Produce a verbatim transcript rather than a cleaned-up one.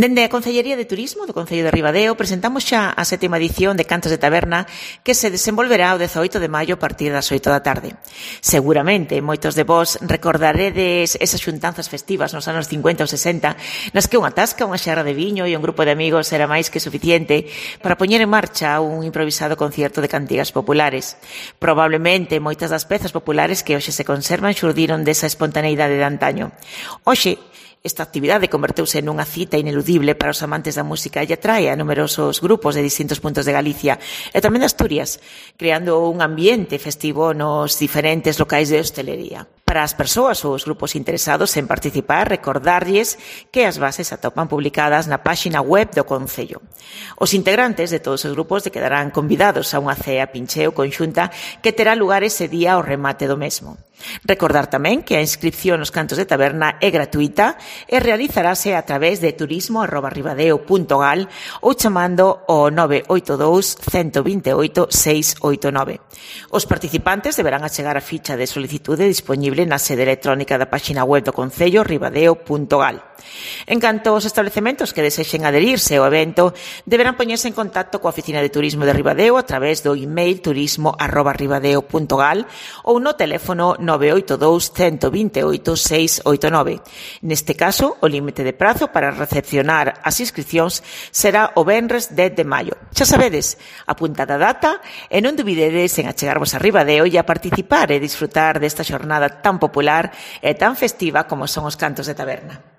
Dende a Concellería de Turismo do Concello de Ribadeo presentamos xa a sétima edición de Cantos de Taberna que se desenvolverá o dezaoito de maio a partir das oito da tarde. Seguramente moitos de vós recordaredes esas xuntanzas festivas nos anos cincuenta ou sesenta nas que unha tasca, unha xarra de viño e un grupo de amigos era máis que suficiente para poñer en marcha un improvisado concierto de cantigas populares. Probablemente moitas das pezas populares que hoxe se conservan xurdiron desa espontaneidade de antaño. Hoxe, esta actividade converteuse nunha cita ineludible para os amantes da música e atrae a numerosos grupos de distintos puntos de Galicia e tamén de Asturias, creando un ambiente festivo nos diferentes locais de hostelería. Para as persoas ou os grupos interesados en participar, recordarlles que as bases atopan publicadas na páxina web do Concello. Os integrantes de todos os grupos quedarán convidados a unha cea pincheo conxunta que terá lugar ese día ao remate do mesmo. Recordar tamén que a inscripción nos Cantos de Taberna é gratuita e realizarase a través de turismo arroba ribadeo punto gal ou chamando o nove oito dous, uno dos oito, seis oito nove. Os participantes deberán achegar a ficha de solicitude disponible na sede electrónica da páxina web do Concello ribadeo punto gal. En canto aos establecementos que desexen adherirse ao evento, deberán poñerse en contacto coa Oficina de Turismo de Ribadeo a través do email turismo arroba ribadeo punto gal ou no teléfono nove oito dous, uno dos oito, seis oito nove. Neste caso, o límite de prazo para recepcionar as inscripcións será o venres dez de maio. Xa sabedes, apuntad a data e non dubidedes en achegarvos a Ribadeo e a participar e disfrutar desta xornada tan popular e tan festiva como son os Cantos de Taberna.